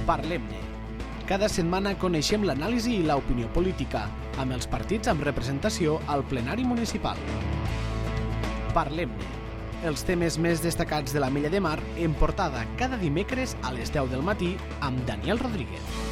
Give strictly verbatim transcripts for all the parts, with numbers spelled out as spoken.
Parlem-ne. Cada setmana coneixem l'anàlisi i l'opinió política, amb els partits amb representació al plenari municipal. Parlem-ne. Els temes més destacats de l'Ametlla de Mar en portada cada dimecres a les deu del matí amb Daniel Rodríguez.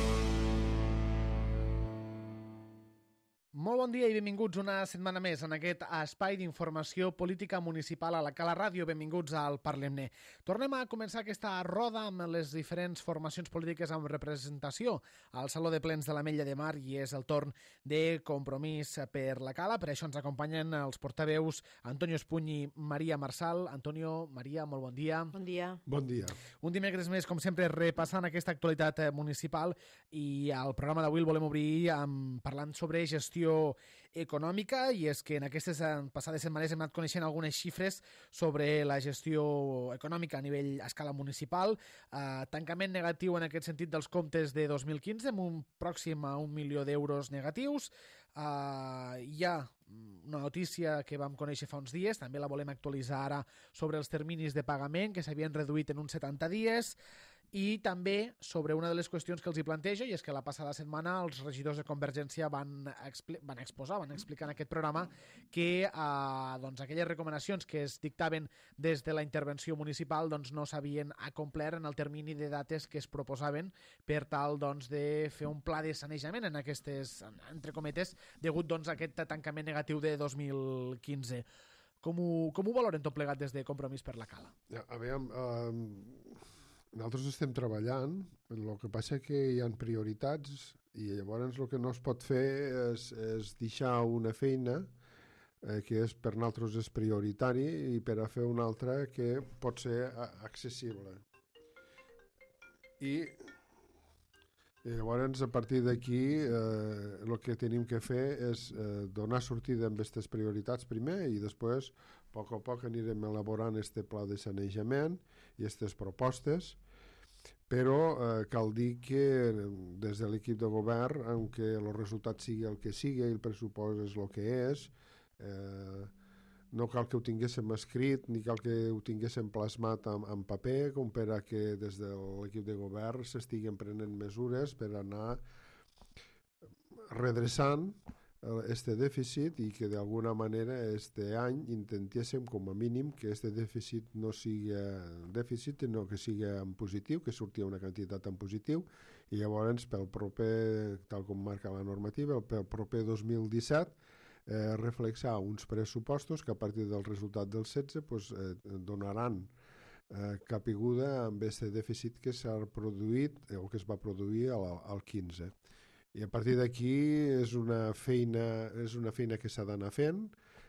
Molt bon dia i benvinguts una setmana més en aquest espai d'informació política municipal a la Cala Ràdio. Benvinguts al Parlem-ne. Tornem a començar aquesta roda amb les diferents formacions polítiques amb representació al Saló de Plens de l'Ametlla de Mar i és el torn de Compromís per la Cala. Per això ens acompanyen els portaveus Antonio Espuny i Maria Marsal. Antonio, Maria, molt bon dia. Bon dia. Bon dia. Un dimecres més, com sempre, repassant aquesta actualitat municipal i al programa d'avui el volem obrir amb, parlant sobre gestió econòmica, i és que en aquestes passades setmanes hem anat coneixent algunes xifres sobre la gestió econòmica a nivell a escala municipal. Eh, tancament negatiu en aquest sentit dels comptes de dos mil quinze, amb un pròxim a un milió d'euros negatius. Eh, hi ha una notícia que vam conèixer fa uns dies, també la volem actualitzar ara, sobre els terminis de pagament que s'havien reduït en uns setanta dies, i també sobre una de les qüestions que els hi plantejo, i és que la passada setmana els regidors de Convergència van, expli van exposar, van explicar en aquest programa que eh, doncs, aquelles recomanacions que es dictaven des de la intervenció municipal doncs, no s'havien acomplert en el termini de dates que es proposaven per tal doncs, de fer un pla de sanejament en aquestes, entre cometes, degut doncs, a aquest tancament negatiu de dos mil quinze. Com ho, com ho valoren tot plegat des de Compromís per la Cala? Ja, a veure, um, nosaltres estem treballant, el que passa que hi ha prioritats i llavors el que no es pot fer és, és deixar una feina eh, que és, per nosaltres és prioritari i per a fer una altra que pot ser accessible. I, i llavors a partir d'aquí eh, el que tenim que fer és eh, donar sortida amb aquestes prioritats primer i després a poc a poc anirem elaborant este pla de sanejament i aquestes propostes, però eh, cal dir que des de l'equip de govern, aunque el resultat sigui el que sigui i el pressupost és el que és, eh, no cal que ho tinguéssim escrit ni cal que ho tinguéssim plasmat en, en paper, com per a que des de l'equip de govern s'estiguen prenent mesures per anar redreçant este dèficit i que d'alguna manera este any intentéssim com a mínim que este dèficit no sigui dèficit, sinó que sigui en positiu, que surti una quantitat en positiu, i llavors pel proper, tal com marca la normativa, pel proper dos mil disset eh, reflexar uns pressupostos que a partir del resultat del setze pues, eh, donaran eh, capiguda amb este dèficit que s'ha produït o que es va produir al, al quinze. I a partir d'aquí és una feina és una feina que s'ha d'anar fent,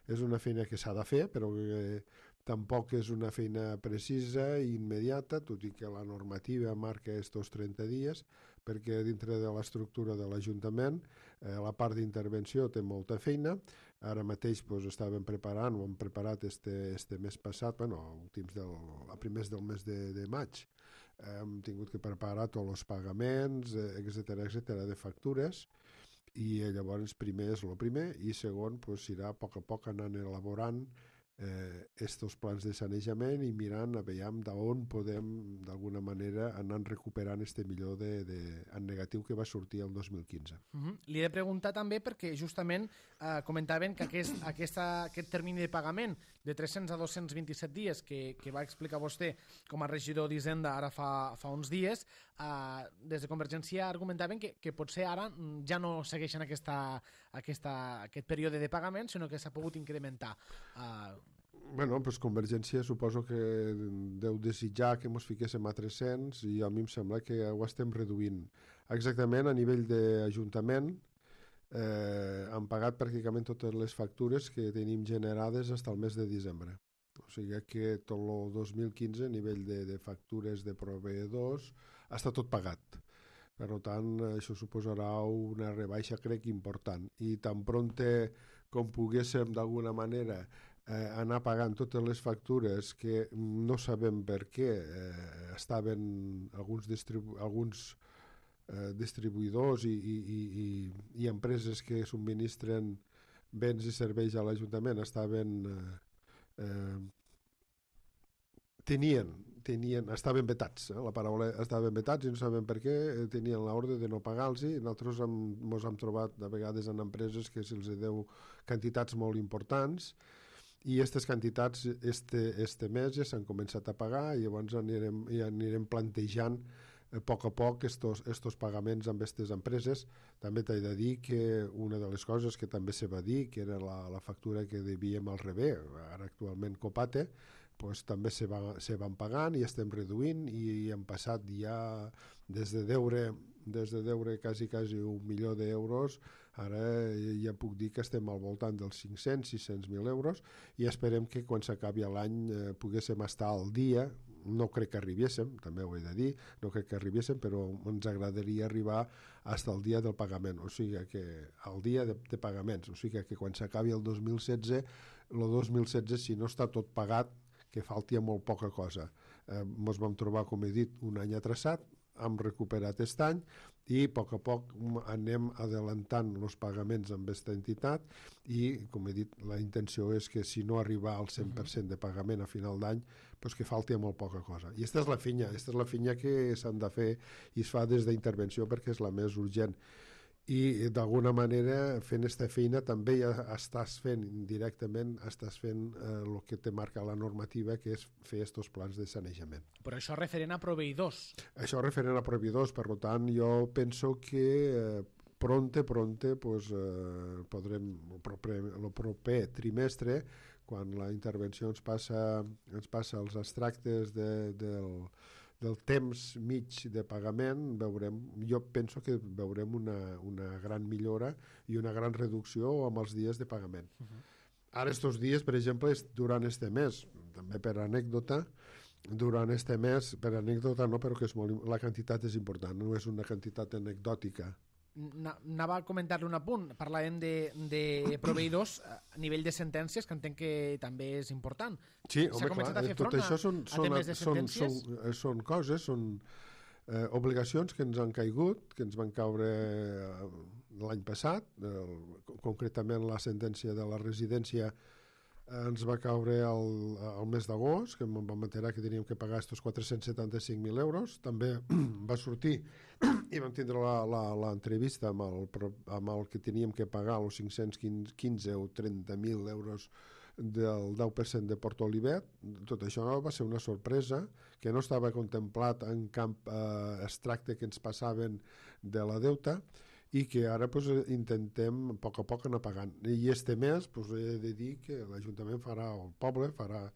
és una feina que s'ha de fer, però que tampoc és una feina precisa i immediata, tot i que la normativa marca estos trenta dies, perquè dintre de l'estructura de l'Ajuntament eh, la part d'intervenció té molta feina. Ara mateix pues, estàvem preparant, ho hem preparat este, este mes passat, bueno, últims del, a primers del mes de, de maig, hem tingut que preparar tots els pagaments, etcètera, etcètera, de factures, i llavors primer és el primer i segon pues, irà a poc a poc anant elaborant eh, estos plans de sanejament i mirant a veure d'on podem d'alguna manera anar recuperant este millor de, de, en negatiu que va sortir el dos mil quinze. Uh-huh. Li he de preguntar també perquè justament eh, comentaven que aquest, aquesta, aquest termini de pagament de tres-cents a dos-cents vint-i-set dies que, que va explicar vostè com a regidor d'Hisenda ara fa, fa uns dies, eh, des de Convergència argumentaven que, que potser ara ja no segueixen aquesta, aquesta, aquest període de pagament, sinó que s'ha pogut incrementar. Eh, Bueno, pues Convergència suposo que deu desitjar que ens fiquéssim a tres-cents i a mi em sembla que ho estem reduint. Exactament a nivell d'Ajuntament eh, han pagat pràcticament totes les factures que tenim generades fins al mes de desembre. O sigui que tot el dos mil quinze a nivell de, de factures de proveïdors està tot pagat. Per tant, això suposarà una rebaixa, crec, important. I tan pronte com poguéssim d'alguna manera eh, anar pagant totes les factures que no sabem per què eh, estaven alguns, distribu alguns eh, distribuïdors i, i, i, i empreses que subministren béns i serveis a l'Ajuntament estaven eh, eh, tenien tenien, estaven vetats, eh? La paraula estaven vetats i no sabem per què, tenien l'ordre de no pagar-los i nosaltres ens hem trobat de vegades en empreses que se'ls deu quantitats molt importants i aquestes quantitats este, este mes ja s'han començat a pagar i llavors anirem, ja anirem plantejant a poc a poc estos, estos pagaments amb aquestes empreses. També t'he de dir que una de les coses que també se va dir, que era la, la factura que devíem al revés, ara actualment Copate, pues, també se, va, se van pagant i estem reduint i hem passat ja des de deure, des de deure quasi, quasi un milió d'euros, ara ja puc dir que estem al voltant dels cinc-cents a sis-cents mil euros i esperem que quan s'acabi l'any eh, poguéssim estar al dia. No crec que arribéssim, també ho he de dir, no crec que arribéssim, però ens agradaria arribar fins al dia del pagament, o sigui que al dia de, de pagaments, o sigui que quan s'acabi el dos mil setze, el dos mil setze, si no està tot pagat, que falti molt poca cosa. Eh, ens vam trobar, com he dit, un any atrasat, hem recuperat aquest any i a poc a poc anem adelantant els pagaments amb aquesta entitat i, com he dit, la intenció és que si no arriba al cent per cent de pagament a final d'any, pues que falti molt poca cosa. I aquesta és la finya, aquesta és la finya que s'han de fer i es fa des d'intervenció perquè és la més urgent. I d'alguna manera fent aquesta feina també ja estàs fent indirectament estàs fent eh, el que te marca la normativa, que és fer aquests plans de sanejament. Però això referent a proveïdors. Això referent a proveïdors, per tant jo penso que eh, pronte, pronte pues, eh, podrem el proper, el proper trimestre, quan la intervenció ens passa, ens passa els extractes de, del del temps mig de pagament, veurem, jo penso que veurem una, una gran millora i una gran reducció amb els dies de pagament. Uh-huh. Ara, estos dies, per exemple, durant este mes, també per anècdota, durant este mes, per anècdota no, però que és molt, la quantitat és important, no és una quantitat anecdòtica. Anava a comentar-li un apunt, parlàvem de, de proveïdors a nivell de sentències, que entenc que també és important. Sí, home, clar, tot això són, són, són, són, són coses, són eh, obligacions que ens han caigut, que ens van caure eh, l'any passat, eh, concretament la sentència de la residència eh, ens va caure el, el mes d'agost, que em vam enterar que teníem que pagar estos quatre-cents setanta-cinc mil euros. També va sortir i vam tindre l'entrevista amb, el, amb el que teníem que pagar els cinc-cents quinze o trenta mil euros del deu per cent de Porto Olivet. Tot això va ser una sorpresa que no estava contemplat en cap eh, extracte que ens passaven de la deuta i que ara pues, intentem a poc a poc anar pagant. I este mes pues, he de dir que l'Ajuntament farà, el poble farà,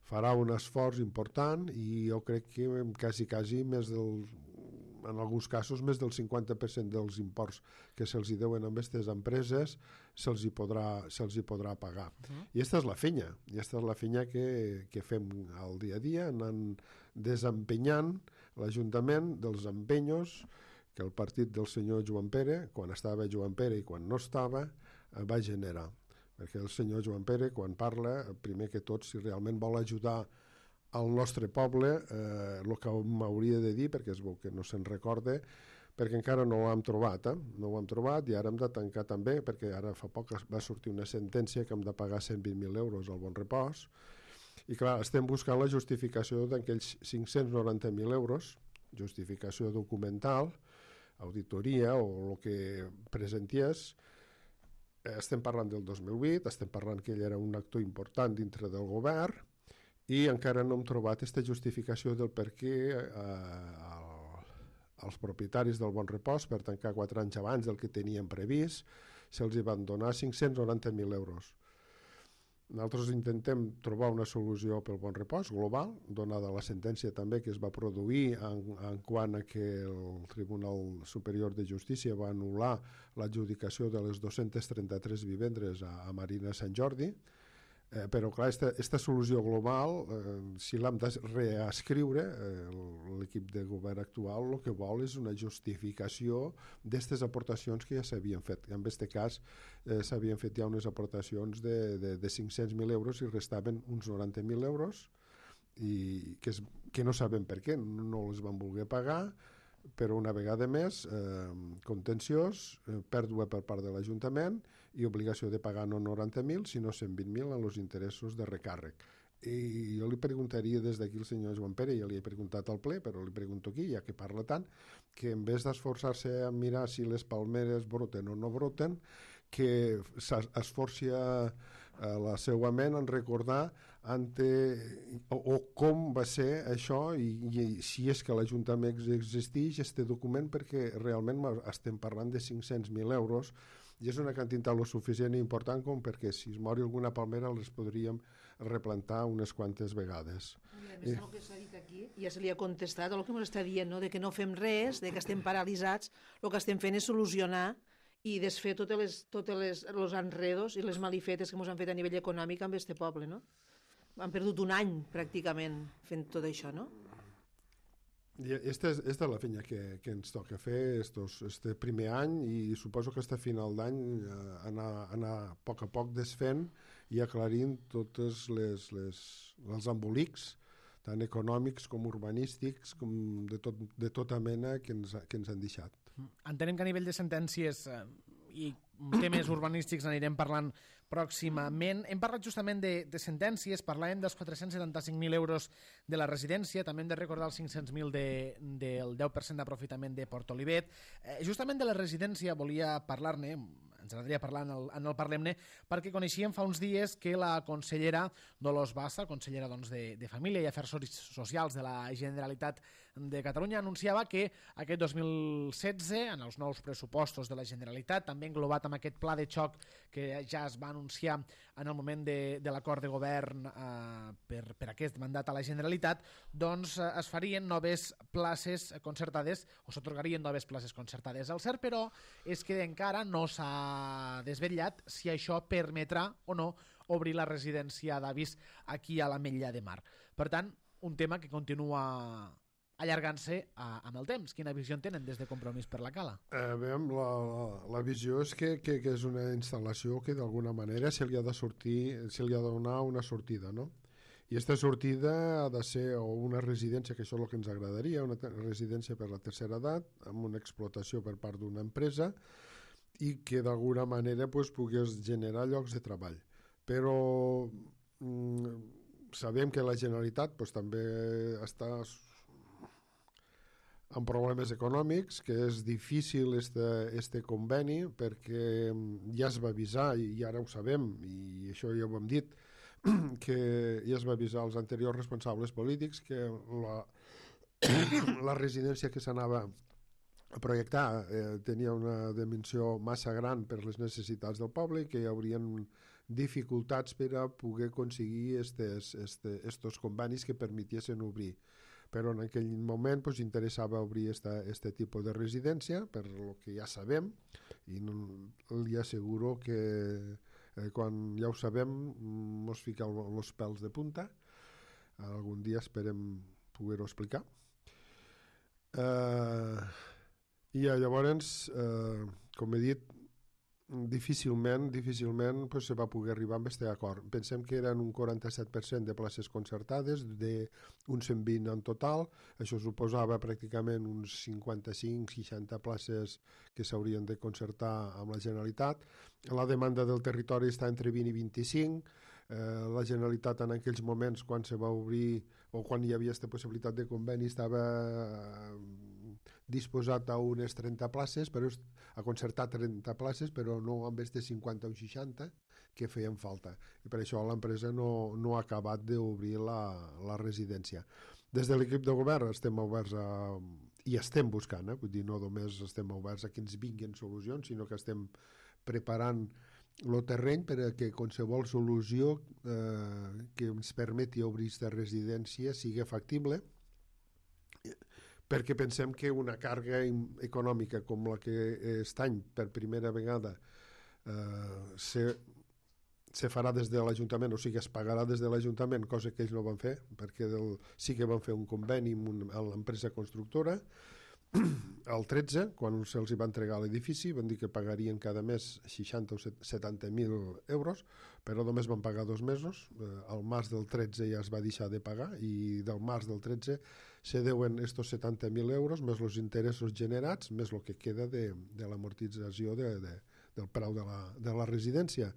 farà un esforç important i jo crec que quasi, quasi més del en alguns casos més del cinquanta per cent dels imports que se'ls deuen a aquestes empreses se'ls hi podrà, se'ls hi podrà pagar. Uh-huh. I aquesta és la feina, i aquesta és la feina que, que fem al dia a dia, anant desempenyant l'Ajuntament dels empenyos que el partit del senyor Joan Pere, quan estava Joan Pere i quan no estava, va generar. Perquè el senyor Joan Pere, quan parla, primer que tot, si realment vol ajudar al nostre poble, eh, el que m'hauria de dir, perquè es veu que no se'n recorda, perquè encara no ho hem trobat, eh? no ho hem trobat i ara hem de tancar també, perquè ara fa poc va sortir una sentència que hem de pagar cent vint mil euros al Bon Repòs, i clar, estem buscant la justificació d'aquells cinc-cents noranta mil euros, justificació documental, auditoria o el que presentés. Estem parlant del dos mil vuit, estem parlant que ell era un actor important dintre del govern, i encara no hem trobat aquesta justificació del per què eh, els propietaris del Bon Repòs, per tancar quatre anys abans del que tenien previst, se'ls van donar cinc-cents noranta mil euros. Nosaltres intentem trobar una solució pel Bon Repòs global, donada la sentència també que es va produir en, en quant a que el Tribunal Superior de Justícia va anul·lar l'adjudicació de les dos-centes trenta-tres vivendes a, a Marina Sant Jordi. Eh, però clar, aquesta solució global, eh, si l'hem de reescriure, eh, l'equip de govern actual el que vol és una justificació d'aquestes aportacions que ja s'havien fet. En aquest cas eh, s'havien fet ja unes aportacions de, de, de cinc-cents mil euros i restaven uns noranta mil euros i que, és, que no sabem per què, no les van voler pagar, però una vegada més, eh, contenciós, eh, pèrdua per part de l'Ajuntament i obligació de pagar no noranta mil, sinó cent vint mil en els interessos de recàrrec. I jo li preguntaria des d'aquí al senyor Joan Pere, ja li he preguntat al ple, però li pregunto aquí, ja que parla tant, que en vez d'esforçar-se a mirar si les palmeres broten o no broten, que s'esforci a, a la seva ment en recordar ante, o, o com va ser això i, i si és que l'Ajuntament existeix este document, perquè realment estem parlant de cinc-cents mil euros i és una quantitat lo suficient i important com perquè si es mori alguna palmera les podríem replantar unes quantes vegades. I a més, el que s'ha dit aquí, ja se li ha contestat el que ens està dient, no? De que no fem res, de que estem paralitzats, el que estem fent és solucionar i desfer totes les, totes les, els enredos i les malifetes que ens han fet a nivell econòmic amb este poble, no? Han perdut un any, pràcticament, fent tot això, no? I esta és, esta és la feina que, que ens toca fer estos, este primer any i suposo que este final d'any eh, anar, anar a poc a poc desfent i aclarint tots les, les, els embolics tant econòmics com urbanístics com de, tot, de tota mena que ens, que ens han deixat. Entenem que a nivell de sentències eh, i temes urbanístics anirem parlant pròximament. Hem parlat justament de, de sentències, parlàvem dels quatre-cents setanta-cinc mil euros de la residència, també hem de recordar els cinc-cents mil de, del deu per cent d'aprofitament de Port Olivet. Eh, justament de la residència volia parlar-ne, ens agradaria parlar en el, en el Parlem-ne, perquè coneixíem fa uns dies que la consellera Dolors Bassa, consellera doncs, de, de Família i Afers Socials de la Generalitat de Catalunya, anunciava que aquest dos mil setze, en els nous pressupostos de la Generalitat, també englobat amb aquest pla de xoc que ja es va anunciar en el moment de, de l'acord de govern eh, per, per aquest mandat a la Generalitat, doncs eh, es farien noves places concertades o s'atorgarien noves places concertades. El cert, però, és que encara no s'ha desvetllat si això permetrà o no obrir la residència d'avis aquí a l'Ametlla de Mar. Per tant, un tema que continua allargant-se amb el temps. Quina visió en tenen des de Compromís per la Cala? Eh, veiem, la, la, la visió és que, que, que és una instal·lació que d'alguna manera se li ha de sortir, se li ha de donar una sortida, no? I aquesta sortida ha de ser o una residència, que això és el que ens agradaria, una residència per la tercera edat, amb una explotació per part d'una empresa i que d'alguna manera pues, pogués generar llocs de treball. Però mm, sabem que la Generalitat pues, també està amb problemes econòmics, que és difícil este, este conveni perquè ja es va avisar i ara ho sabem i això ja ho hem dit que ja es va avisar als anteriors responsables polítics que la, la residència que s'anava a projectar eh, tenia una dimensió massa gran per les necessitats del poble i que hi haurien dificultats per a poder aconseguir estes, este, estos convenis que permetiessin obrir. Però en aquell moment pues, interessava obrir aquest tipus de residència, per el que ja sabem, i no, li asseguro que eh, quan ja ho sabem mos fica els pèls de punta. Algun dia esperem poder-ho explicar. Eh, I llavors, eh, com he dit, difícilment, difícilment pues, se va poder arribar amb aquest acord. Pensem que eren un quaranta-set per cent de places concertades, d'un cent vint en total, això suposava pràcticament uns cinquanta-cinc seixanta places que s'haurien de concertar amb la Generalitat. La demanda del territori està entre vint i vint-i-cinc, eh, la Generalitat en aquells moments quan se va obrir o quan hi havia aquesta possibilitat de conveni estava eh, disposat a unes trenta places, però a concertar trenta places, però no amb aquestes cinquanta o seixanta que feien falta. I per això l'empresa no, no ha acabat d'obrir la, la residència. Des de l'equip de govern estem oberts a, i estem buscant, eh? Vull dir, no només estem oberts a que ens vinguin solucions, sinó que estem preparant el terreny per a que qualsevol solució eh, que ens permeti obrir aquesta residència sigui factible, perquè pensem que una càrrega econòmica com la que aquest any per primera vegada eh, se, se farà des de l'Ajuntament, o sigui, es pagarà des de l'Ajuntament, cosa que ells no van fer, perquè del, sí que van fer un conveni amb, un, amb l'empresa constructora. El tretze, quan se'ls va entregar l'edifici, van dir que pagarien cada mes seixanta o setanta mil euros, però només van pagar dos mesos. Al març del tretze ja es va deixar de pagar i del març del tretze se deuen estos setanta mil euros més els interessos generats, més el que queda de, de l'amortització de, de, del preu de la, de la residència.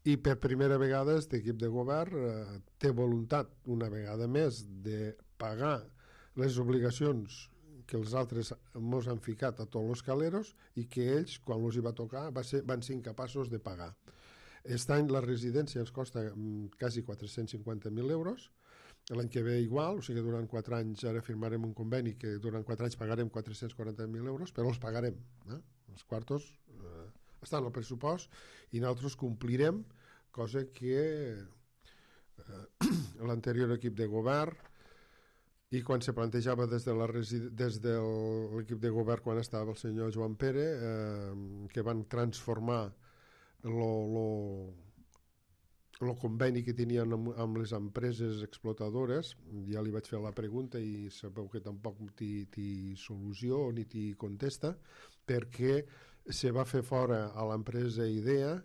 I per primera vegada aquest equip de govern eh, té voluntat, una vegada més, de pagar les obligacions que els altres mos han ficat a tots els caleros i que ells, quan els hi va tocar, va ser, van ser incapaços de pagar. Aquest any la residència ens costa mm, quasi quatre-cents cinquanta mil euros, l'any que ve igual, o sigui que durant quatre anys ara firmarem un conveni que durant quatre anys pagarem quatre-cents quaranta mil euros, però els pagarem. Eh? Els quartos eh, estan al pressupost i nosaltres complirem, cosa que eh, l'anterior equip de govern i quan se plantejava des de la des de l'equip de govern quan estava el senyor Joan Pere eh, que van transformar lo, lo, el conveni que tenien amb, amb les empreses explotadores, ja li vaig fer la pregunta i sabeu que tampoc t'hi solució ni t'hi contesta, perquè se va fer fora a l'empresa IDEA.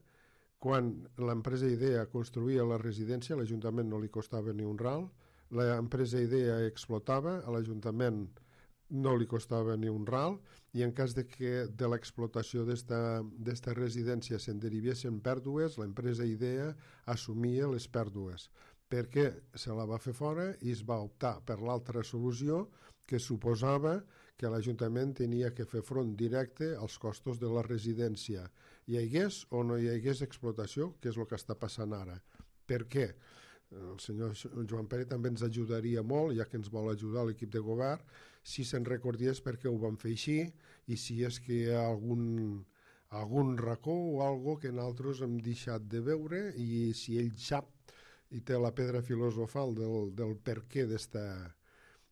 Quan l'empresa IDEA construïa la residència, a l'Ajuntament no li costava ni un ral, l'empresa IDEA explotava, a l'Ajuntament no li costava ni un ral, i en cas de que de l'explotació d'esta residència se'n derivessin pèrdues, l'empresa IDEA assumia les pèrdues, perquè se la va fer fora i es va optar per l'altra solució, que suposava que l'Ajuntament tenia que fer front directe als costos de la residència. Hi hagués o no hi hagués explotació, que és el que està passant ara. Per què? El senyor Joan Pere també ens ajudaria molt, ja que ens vol ajudar l'equip de govern, si se'n recordés per què ho vam fer així i si és que hi ha algun, algun racó o algo que nosaltres hem deixat de veure i si ell sap i té la pedra filosofal del, del per què d'esta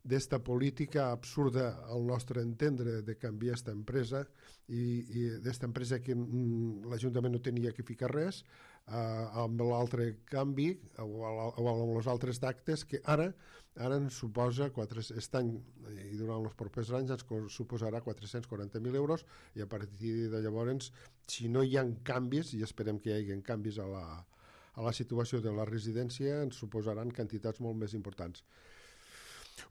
d'esta política absurda al nostre entendre de canviar aquesta empresa i, i d'esta empresa que mm, l'Ajuntament no tenia que ficar res eh, amb l'altre canvi o, o amb els altres actes que ara ara ens suposa quatre, aquest any i durant els propers anys ens suposarà quatre-cents quaranta mil euros i a partir de llavors si no hi ha canvis i esperem que hi hagi canvis a la, a la situació de la residència ens suposaran quantitats molt més importants.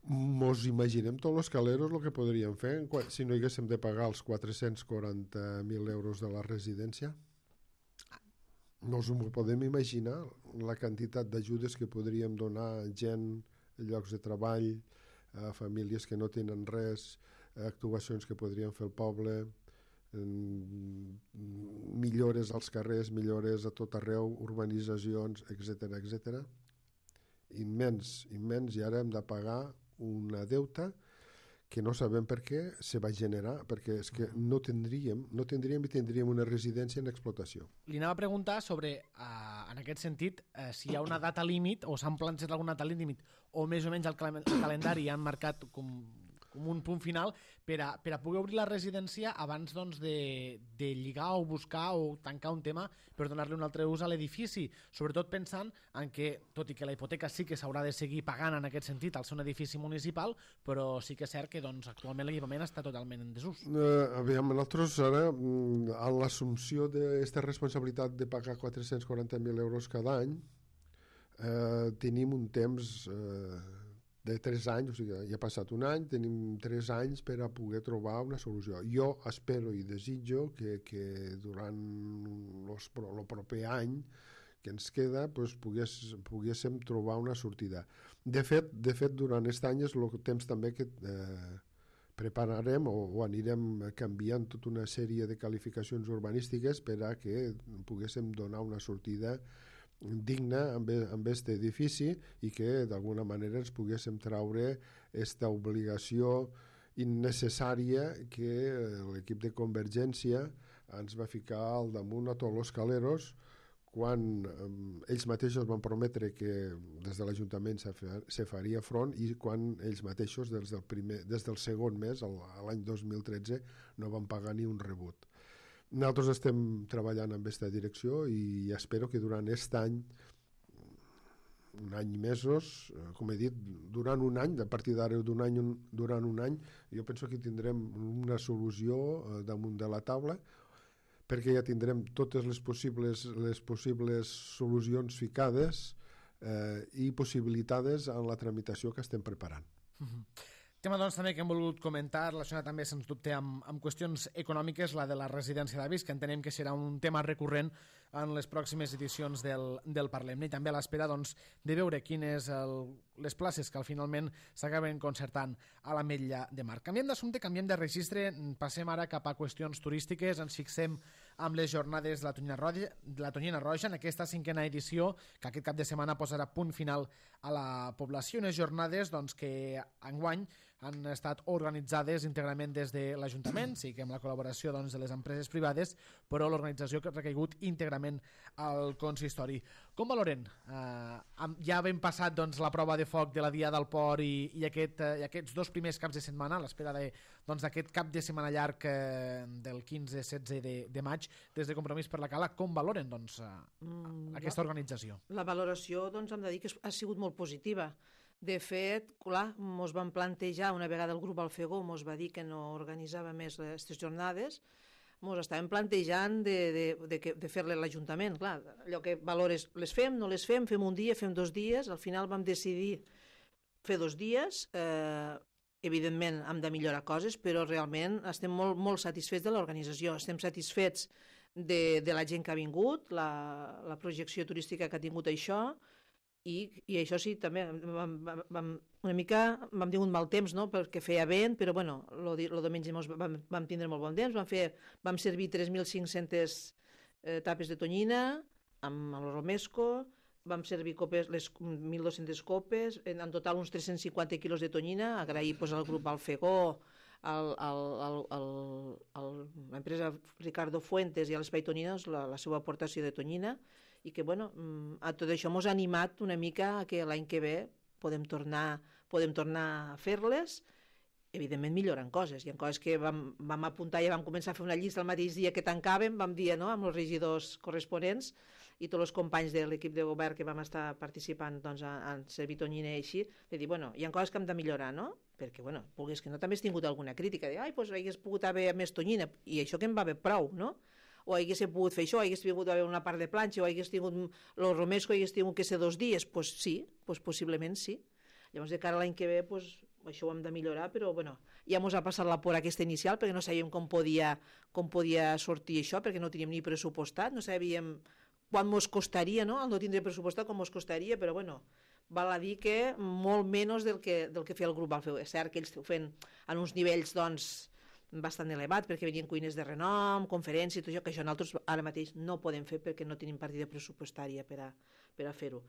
Mos imaginem tots els caleros el que podríem fer si no haguéssim de pagar els quatre-cents quaranta mil euros de la residència? No us ho podem imaginar, la quantitat d'ajudes que podríem donar a gent, llocs de treball, a famílies que no tenen res, actuacions que podrien fer el poble, millores als carrers, millores a tot arreu, urbanitzacions, etcètera, etcètera. Immens, immens, i ara hem de pagar una deuta que no sabem per què se va generar, perquè és que no tindríem, no tindríem i tindríem una residència en explotació. Li anava a preguntar sobre, uh, en aquest sentit, uh, si hi ha una data límit o s'han plantejat alguna data límit o més o menys el, cal el calendari han marcat com, com un punt final per a, per a poder obrir la residència abans doncs, de, de lligar o buscar o tancar un tema per donar-li un altre ús a l'edifici, sobretot pensant en que, tot i que la hipoteca sí que s'haurà de seguir pagant en aquest sentit al ser un edifici municipal, però sí que és cert que doncs, actualment l'equipament està totalment en desús. Uh, aviam, nosaltres ara, en l'assumpció d'aquesta responsabilitat de pagar quatre-cents quaranta mil euros cada any, uh, tenim un temps uh, de tres anys, o sigui, ja ha passat un any, tenim tres anys per a poder trobar una solució. Jo espero i desitjo que, que durant el proper any que ens queda pues, pogués, poguéssim trobar una sortida. De fet, de fet durant aquest any és el temps també que eh, prepararem o, o anirem canviant tota una sèrie de qualificacions urbanístiques per a que poguéssim donar una sortida digna amb aquest edifici i que d'alguna manera ens poguéssim traure aquesta obligació innecessària que l'equip de Convergència ens va ficar al damunt a tots els caleros quan eh, ells mateixos van prometre que des de l'Ajuntament se faria front i quan ells mateixos des del, primer, des del segon mes, l'any dos mil tretze, no van pagar ni un rebut. Nosaltres estem treballant en aquesta direcció i espero que durant aquest any, un any i mesos, com he dit, durant un any, a partir d'ara d'un any, durant un any, jo penso que tindrem una solució damunt de la taula, perquè ja tindrem totes les possibles, les possibles solucions ficades eh, i possibilitades en la tramitació que estem preparant. Mm-hmm. Tema doncs, també que hem volgut comentar, relacionat també, sens dubte, amb, amb qüestions econòmiques, la de la residència d'avis, que entenem que serà un tema recurrent en les pròximes edicions del, del Parlem. I també a l'espera doncs, de veure quines el, les places que al finalment s'acaben concertant a l'Ametlla de Mar. Canviem d'assumpte, canviem de registre, passem ara cap a qüestions turístiques, ens fixem amb les jornades de la Tonyina Roja, de la Tonyina Roja en aquesta cinquena edició, que aquest cap de setmana posarà punt final a la població. Unes jornades doncs, que enguany han estat organitzades íntegrament des de l'Ajuntament, sí que amb la col·laboració doncs, de les empreses privades, però l'organització que ha recaigut íntegrament al consistori. Com valoren? Uh, ja havent passat doncs, la prova de foc de la Dia del Port i, i, aquest, uh, i aquests dos primers caps de setmana, a l'espera d'aquest doncs, cap de setmana llarg uh, del quinze setze de, de maig, des de Compromís per la Cala, com valoren doncs, uh, mm, aquesta organització? La valoració doncs, hem de dir que ha sigut molt positiva. De fet, clar, ens vam plantejar, una vegada el grup Alfegó ens va dir que no organitzava més aquestes jornades, ens estàvem plantejant de, de, de, de fer-le a l'Ajuntament. Clar, allò que valores, les fem, no les fem, fem un dia, fem dos dies, al final vam decidir fer dos dies, eh, evidentment hem de millorar coses, però realment estem molt, molt satisfets de l'organització, estem satisfets de, de la gent que ha vingut, la, la projecció turística que ha tingut això, I, i això sí, també vam, vam, una mica vam tingut mal temps, no?, perquè feia vent, però bueno, el diumenge vam, vam tindre molt bon temps, vam, fer, vam servir tres mil cinc-centes eh, tapes de tonyina amb el romesco, vam servir copes, les mil dos-centes copes, en, en total uns tres-cents cinquanta quilos de tonyina, agrair pues, al grup Alfegó, al, al, al, al, al, l'empresa Ricardo Fuentes i a l'Espai Tonyines la, la seva aportació de tonyina, i que bueno, a tot això ens ha animat una mica a que l'any que ve podem tornar, podem tornar a fer-les, evidentment millorant coses. Hi ha coses que vam, vam apuntar i vam començar a fer una llista el mateix dia que tancàvem, vam dir no, amb els regidors corresponents i tots els companys de l'equip de govern que vam estar participant doncs, en servir tonyina i així, de dir, bueno, hi ha coses que hem de millorar, no? Perquè, bueno, vulguis que no, també has tingut alguna crítica, de, ai, doncs hagués pogut haver més tonyina, i això que em va haver prou, no? O hagués pogut fer això, hagués tingut haver una part de planxa, o hagués tingut el romesco, hagués tingut que ser dos dies, doncs pues sí, pues possiblement sí. Llavors, de cara a l'any que ve, pues, això ho hem de millorar, però bueno, ja ens ha passat la por aquesta inicial, perquè no sabíem com podia, com podia sortir això, perquè no teníem ni pressupostat, no sabíem quan ens costaria, no?, el no tindre pressupostat, com ens costaria, però bueno, val a dir que molt menys del que, del que feia el grup Alfegó. És cert que ells ho feien en uns nivells, doncs, bastant elevat, perquè venien cuines de renom, conferències, tot això, que això nosaltres ara mateix no podem fer perquè no tenim partida pressupostària per a, per a fer-ho.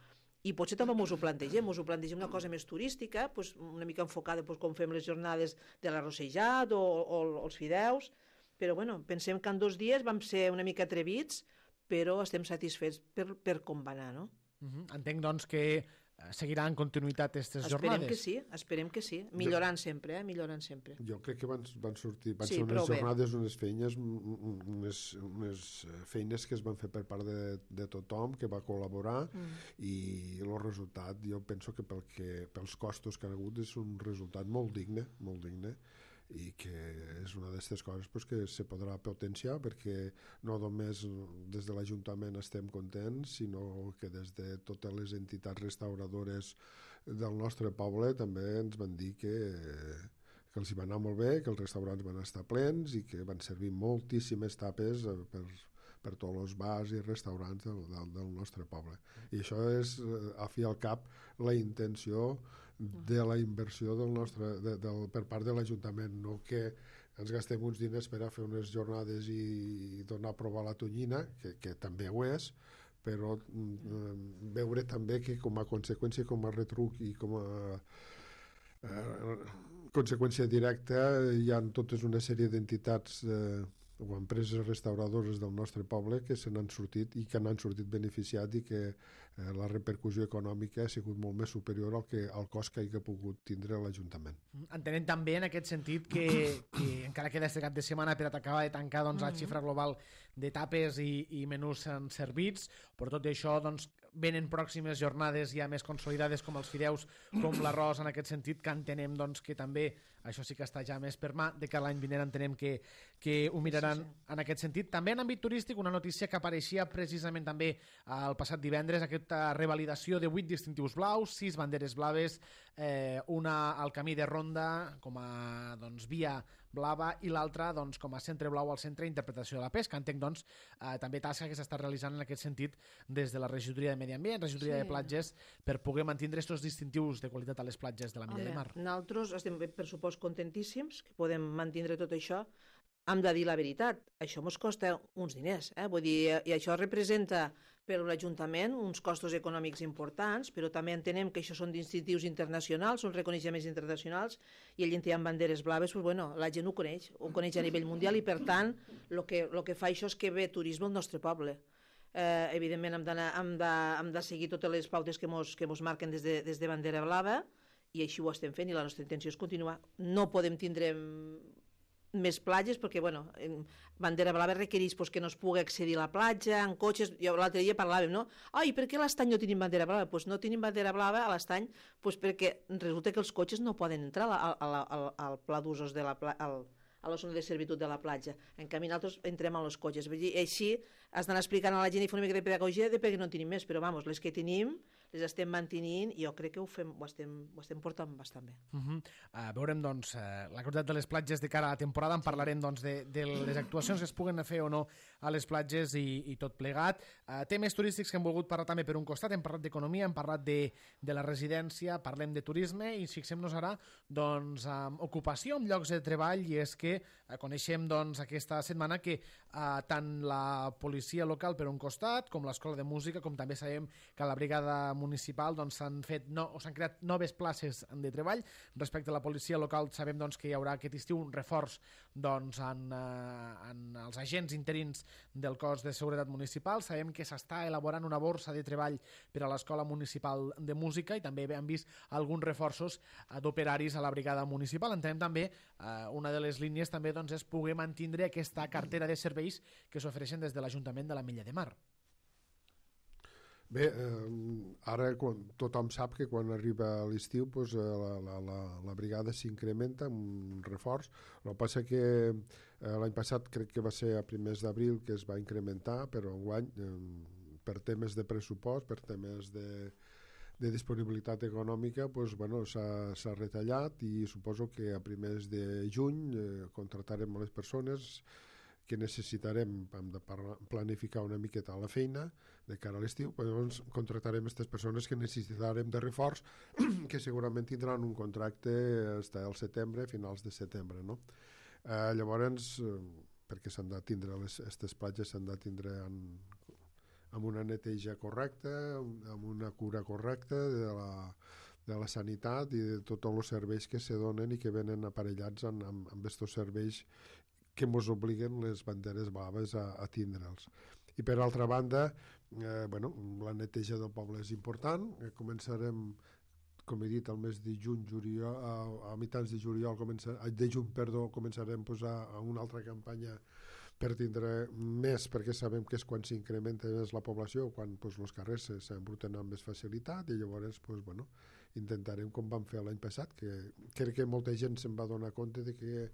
I potser també ens ho plantegem, ens ho plantegem una cosa més turística, doncs una mica enfocada doncs, com fem les jornades de l'arrossejat o, o, o els fideus, però bueno, pensem que en dos dies vam ser una mica atrevits, però estem satisfets per, per com va anar, no? Uh-huh. Entenc, doncs, que seguirà en continuïtat aquestes esperem jornades. Que sí, esperem que sí, millorant jo, sempre, eh? millorant sempre. Jo crec que van, van sortir, van sí, ser unes jornades, bé. unes feines, unes, unes feines que es van fer per part de, de tothom, que va col·laborar, mm. i el resultat, jo penso que, pel que pels costos que han hagut és un resultat molt digne, molt digne, i que és una d'aquestes coses pues, que se podrà potenciar, perquè no només des de l'Ajuntament estem contents, sinó que des de totes les entitats restauradores del nostre poble també ens van dir que, que els hi va anar molt bé, que els restaurants van estar plens i que van servir moltíssimes tapes per, per tots els bars i restaurants del, del, del nostre poble. I això és, a fi al cap, la intenció de la inversió del nostre, de, del, per part de l'Ajuntament, no que ens gastem uns diners per a fer unes jornades i, i donar a provar la tonyina, que, que també ho és, però eh, veure també que com a conseqüència, com a retruc i com a eh, conseqüència directa hi ha totes una sèrie d'entitats eh, o empreses restauradores del nostre poble que se n'han sortit i que n'han sortit beneficiat i que eh, la repercussió econòmica ha sigut molt més superior al, que, al cost que hagi pogut tindre l'Ajuntament. Entenem també en aquest sentit que, que encara queda este cap de setmana per acabar de tancar doncs, la xifra global de tapes i, i menús servits, però tot i això doncs, venen pròximes jornades ja més consolidades com els fideus, com l'arròs, en aquest sentit, que entenem doncs, que també això sí que està ja més per mà, de que l'any vinent entenem que, que ho miraran sí, sí. en aquest sentit. També en àmbit turístic, una notícia que apareixia precisament també el passat divendres, aquesta revalidació de vuit distintius blaus, sis banderes blaves eh, una al camí de Ronda com a doncs, via blava i l'altra doncs, com a centre blau al centre d'interpretació de la pesca. Entenc doncs, eh, també tasca que s'està realitzant en aquest sentit des de la regidoria de Medi Ambient, regidoria sí. de platges, per poder mantenir aquests distintius de qualitat a les platges de la Milla Home, de Mar. Nosaltres estem, per supost, contentíssims que podem mantenir tot això. Hem de dir la veritat, això ens costa uns diners, eh? Vull dir, i això representa per l'Ajuntament uns costos econòmics importants, però també entenem que això són distintius internacionals, són reconeixements internacionals, i el gent amb banderes blaves, pues, bueno, la gent ho coneix, ho coneix a nivell mundial, i per tant, el que, lo que fa això és que ve turisme al nostre poble. Eh, evidentment, hem, hem, de, hem de seguir totes les pautes que mos, que mos marquen des de, des de bandera blava, i així ho estem fent, i la nostra intenció és continuar. No podem tindre més platges, perquè, bueno, bandera blava requereix pues, que no es pugui accedir a la platja, en cotxes. Jo l'altre dia parlàvem, no? Ai, per què a l'estany no tenim bandera blava? Doncs pues no tenim bandera blava a l'estany pues perquè resulta que els cotxes no poden entrar al, al, al, al pla d'usos de la platja, a la zona de servitud de la platja. En canvi, nosaltres entrem a les cotxes. Vull dir, així has d'anar explicant a la gent i fer una mica de pedagogia de per què no tenim més, però vamos, les que tenim les estem mantenint i jo crec que ho, fem, ho, estem, ho estem portant bastant bé. Uh -huh. uh, veurem doncs, uh, la qualitat de les platges de cara a la temporada, en parlarem doncs, de, de les actuacions que es puguen fer o no a les platges i, i tot plegat. Uh, temes turístics que hem volgut parlar també per un costat, hem parlat d'economia, hem parlat de, de la residència, parlem de turisme i fixem-nos ara doncs, amb ocupació, amb llocs de treball, i és que uh, coneixem doncs, aquesta setmana que uh, tant la policia local per un costat, com l'escola de música, com també sabem que la brigada municipal s'han doncs, fet no, o s'han creat noves places de treball. Respecte a la policia local sabem doncs, que hi haurà aquest estiu un reforç doncs, en, eh, en els agents interins del cos de seguretat municipal. Sabem que s'està elaborant una borsa de treball per a l'escola municipal de música i també hem vist alguns reforços eh, d'operaris a la brigada municipal. Entenem també, eh, una de les línies també doncs, és poder mantenir aquesta cartera de serveis que s'ofereixen des de l'Ajuntament de la Milla de Mar. Bé, eh, ara quan, tothom sap que quan arriba l'estiu pues, la, la, la, la brigada s'incrementa amb un reforç. El que passa que eh, l'any passat crec que va ser a primers d'abril que es va incrementar, però enguany eh, per temes de pressupost, per temes de, de disponibilitat econòmica pues, bueno, s'ha retallat i suposo que a primers de juny eh, contratarem les persones que necessitarem, hem de planificar una miqueta la feina de cara a l'estiu, llavors contractarem aquestes persones que necessitarem de reforç, que segurament tindran un contracte fins al setembre, finals de setembre, no? Eh, llavors, eh, perquè s'han de tindre, aquestes platges s'han de tindre en, amb una neteja correcta, amb una cura correcta de la, de la sanitat i de tots els serveis que se donen i que venen aparellats amb, amb, amb aquests serveis que ens obliguen les banderes blaves a, a tindre'ls. I per altra banda, eh, bueno, la neteja del poble és important. Eh, començarem, com he dit, al mes de juny, juliol, a, a mitjans de juliol, començar, de juny, perdó, començarem pues, a, a una altra campanya per tindre més, perquè sabem que és quan s'incrementa més la població, quan pues, els carrers s'embruten amb més facilitat, i llavors pues, bueno, intentarem com vam fer l'any passat, que crec que molta gent se'n va donar compte de que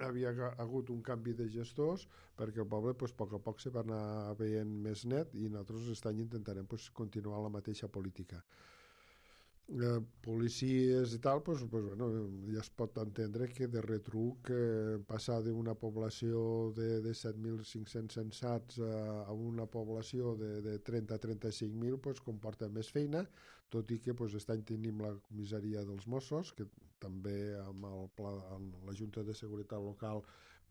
havia hagut un canvi de gestors perquè el poble pues, a poc a poc se va anar veient més net i nosaltres aquest any intentarem pues, continuar la mateixa política. Eh, policies i tal, pues, pues, bueno, ja es pot entendre que de retruc eh, passar d'una població de, de set mil cinc-cents censats a, a una població de, de trenta a trenta-cinc mil pues, comporta més feina, tot i que pues, aquest any tenim la comissaria dels Mossos, que també amb, el pla, amb la Junta de Seguretat Local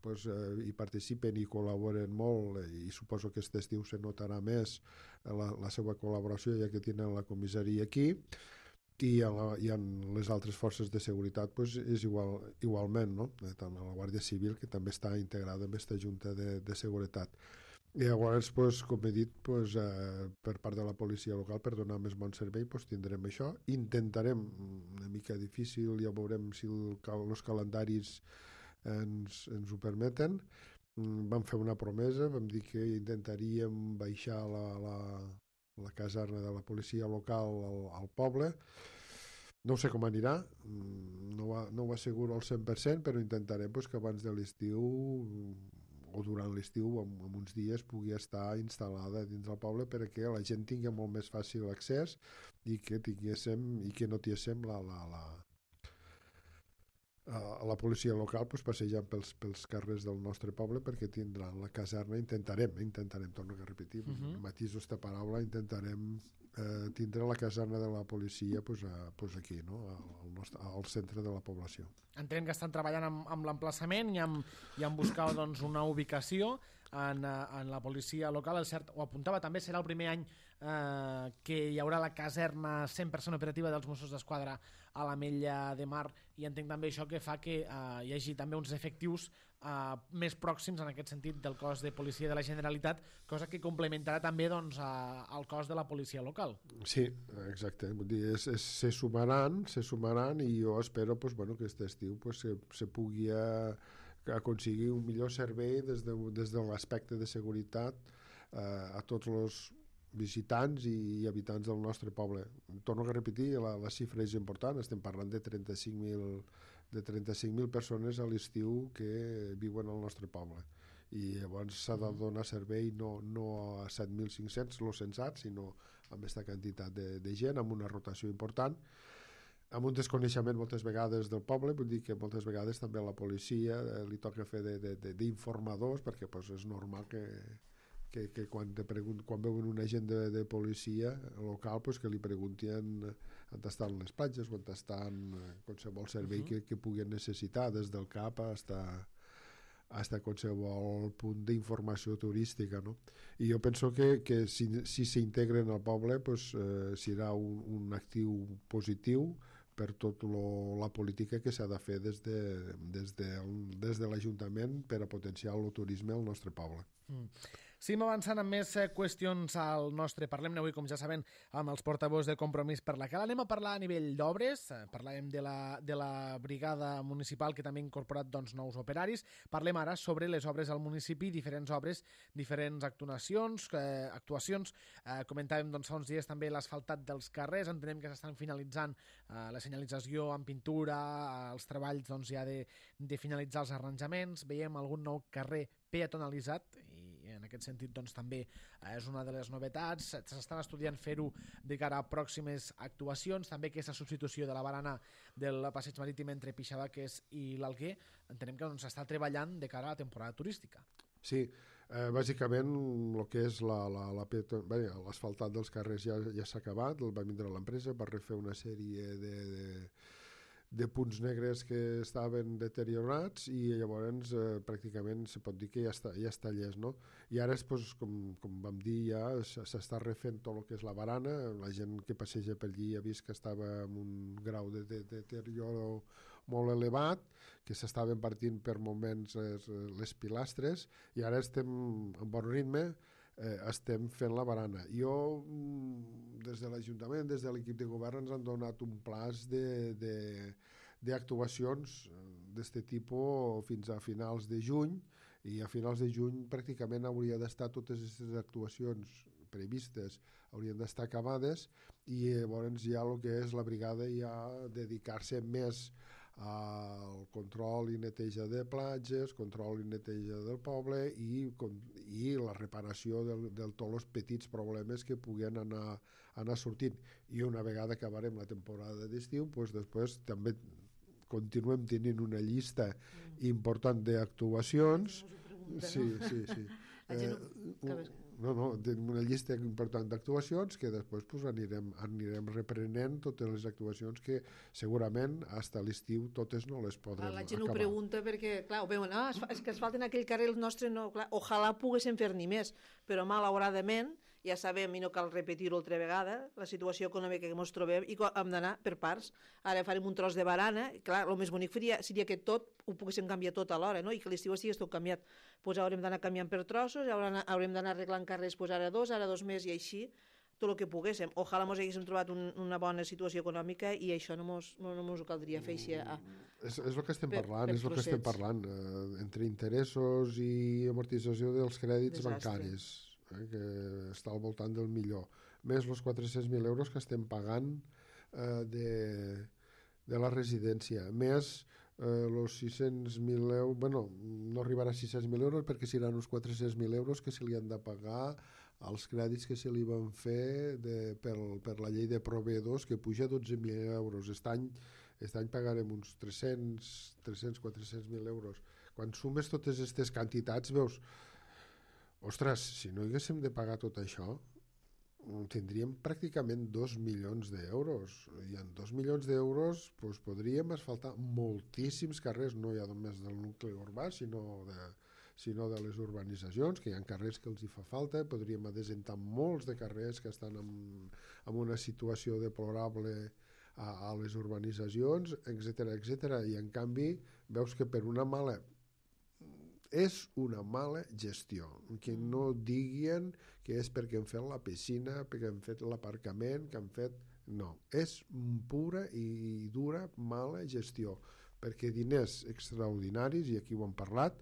pues, eh, hi participen i col·laboren molt, i suposo que aquest estiu se notarà més la, la seva col·laboració, ja que tenen la comissaria aquí, i, a la, i en les altres forces de seguretat pues, és igual, igualment, no? Tant a la Guàrdia Civil, que també està integrada en aquesta Junta de, de Seguretat. I llavors, pues, com he dit, pues, eh, per part de la policia local, per donar més bon servei, pues, tindrem això. Intentarem, una mica difícil, ja veurem si el, els calendaris ens, ens ho permeten. Vam fer una promesa, vam dir que intentaríem baixar la, la, la caserna de la policia local al, al poble. No sé com anirà, no, va, no ho asseguro al cent per cent, però intentarem pues, que abans de l'estiu o durant l'estiu, en, en uns dies, pugui estar instal·lada dins del poble perquè la gent tingui molt més fàcil accés i que tinguéssim i que no tinguéssim la, la, la, a la policia local pues, passejant pels, pels carrers del nostre poble perquè tindran la caserna, intentarem, intentarem, torno a repetir, uh -huh. matiso esta paraula, intentarem eh, tindre la caserna de la policia pues, a, pues aquí, no? al, nostre, al centre de la població. Entenem que estan treballant amb, amb l'emplaçament i amb, i amb buscar doncs, una ubicació en, en la policia local. El cert, ho apuntava també, serà el primer any eh, que hi haurà la caserna cent per cent operativa dels Mossos d'Esquadra a l'Ametlla de Mar, i entenc també això que fa que eh, hi hagi també uns efectius eh, més pròxims en aquest sentit del cos de policia de la Generalitat, cosa que complementarà també doncs, a, al cos de la policia local. Sí, exacte. Vull dir, és, és, se sumaran, se sumaran i jo espero pues, bueno, que aquest estiu pues, se, se pugui a, aconseguir un millor servei des de, des de l'aspecte de seguretat eh, a tots els visitants i habitants del nostre poble. Torno a repetir, la, la xifra és important, estem parlant de trenta-cinc mil de trenta-cinc mil persones a l'estiu que viuen al nostre poble. I llavors s'ha de donar servei no, no a set mil cinc-cents, los censats, sinó amb aquesta quantitat de, de gent, amb una rotació important, amb un desconeixement moltes vegades del poble, vull dir que moltes vegades també a la policia eh, li toca fer d'informadors, perquè pues, és normal que que, que quan, te pregunt, quan veuen un agent de, de policia local pues, que li preguntin on estan les platges, on estan qualsevol servei uh -huh. que, que puguin necessitar, des del C A P fins a qualsevol punt d'informació turística, no? I jo penso que, que si, si s'integren al poble pues, eh, serà un, un actiu positiu per tota la política que s'ha de fer des de, des de, des de l'Ajuntament per a potenciar el turisme al nostre poble. Mm. Seguim avançant amb més qüestions al nostre Parlem-ne avui, com ja saben, amb els portaveus de Compromís per la Cala. Anem a parlar a nivell d'obres, parlàvem de la, de la brigada municipal que també ha incorporat doncs, nous operaris. Parlem ara sobre les obres al municipi, diferents obres, diferents actuacions, eh, actuacions. Eh, comentàvem doncs, fa uns dies també l'asfaltat dels carrers, entenem que s'estan finalitzant eh, la senyalització amb pintura, els treballs doncs, ja de, de finalitzar els arranjaments, veiem algun nou carrer peatonalitzat i en aquest sentit doncs, també eh, és una de les novetats. S'estan estudiant fer-ho de cara a pròximes actuacions, també aquesta substitució de la barana del passeig marítim entre Pixavaques i l'Alguer, entenem que s'està doncs, treballant de cara a la temporada turística. Sí, eh, bàsicament el que és l'asfaltat dels carrers ja, ja s'ha acabat, el va vindre l'empresa per refer una sèrie de, de de punts negres que estaven deteriorats i llavors eh, pràcticament se pot dir que ja està, ja està llest, no? I ara, pues, com, com vam dir, ja s'està refent tot el que és la barana, la gent que passeja per allí ha vist que estava en un grau de, de, de deterioro molt elevat, que s'estaven partint per moments les, les pilastres i ara estem en bon ritme, eh, estem fent la barana. Jo, des de l'Ajuntament, des de l'equip de govern, ens han donat un plaç de, de, d'actuacions d'aquest tipus fins a finals de juny, i a finals de juny pràcticament hauria d'estar totes aquestes actuacions previstes, haurien d'estar acabades, i llavors ja el que és la brigada ja dedicar-se més al control i neteja de platges, control i neteja del poble i, i la reparació de, de tots els petits problemes que puguen anar, anar sortint. I una vegada acabarem la temporada d'estiu, doncs després també continuem tenint una llista mm. important d'actuacions. Sí, sí, sí. Eh, no, no, tenim una llista important d'actuacions que després pues, anirem, anirem reprenent totes les actuacions que segurament fins a l'estiu totes no les podrem acabar. La gent acabar. Ho pregunta perquè, clar, ho veuen, ah, és que es falten aquell carrer el nostre, no, clar, ojalà poguéssim fer ni més, però malauradament ja sabem, i no cal repetir-ho altra vegada, la situació econòmica que ens trobem i hem d'anar per parts. Ara farem un tros de barana, i clar, el més bonic seria, seria que tot ho poguéssim canviar tot alhora, no? I que l'estiu estigués tot canviat. Pues haurem d'anar canviant per trossos, haurem d'anar arreglant carrers, pues ara dos, ara dos més, i així, tot el que poguéssim. Ojalà ens haguéssim trobat un, una bona situació econòmica i això no ens no, no ho caldria fer així. A, és, és el que estem per, parlant, per és el que estem parlant, eh, entre interessos i amortització dels crèdits Desastre. bancaris. Eh, que està al voltant del millor, més els quatre-cents mil euros que estem pagant eh, de, de la residència, més els sis-cents mil euros, bueno, no arribarà a sis-cents mil euros perquè seran uns quatre-cents mil euros que se li han de pagar als crèdits que se li van fer de, per, per la llei de proveïdors, que puja dotze mil euros. Aquest any, aquest any pagarem uns tres-cents, tres-cents quatre-cents mil euros. Quan sumes totes aquestes quantitats veus, ostres, si no haguéssim de pagar tot això, tindríem pràcticament dos milions d'euros, i en dos milions d'euros doncs, podríem asfaltar moltíssims carrers, no ja només del nucli urbà, sinó de, sinó de les urbanitzacions, que hi ha carrers que els hi fa falta, podríem adesentar molts de carrers que estan en, en una situació deplorable a, a les urbanitzacions, etcètera, etcètera. I en canvi veus que per una mala és una mala gestió, que no diguin que és perquè han fet la piscina, perquè han fet l'aparcament, que han fet... No, és pura i dura mala gestió, perquè diners extraordinaris, i aquí ho hem parlat,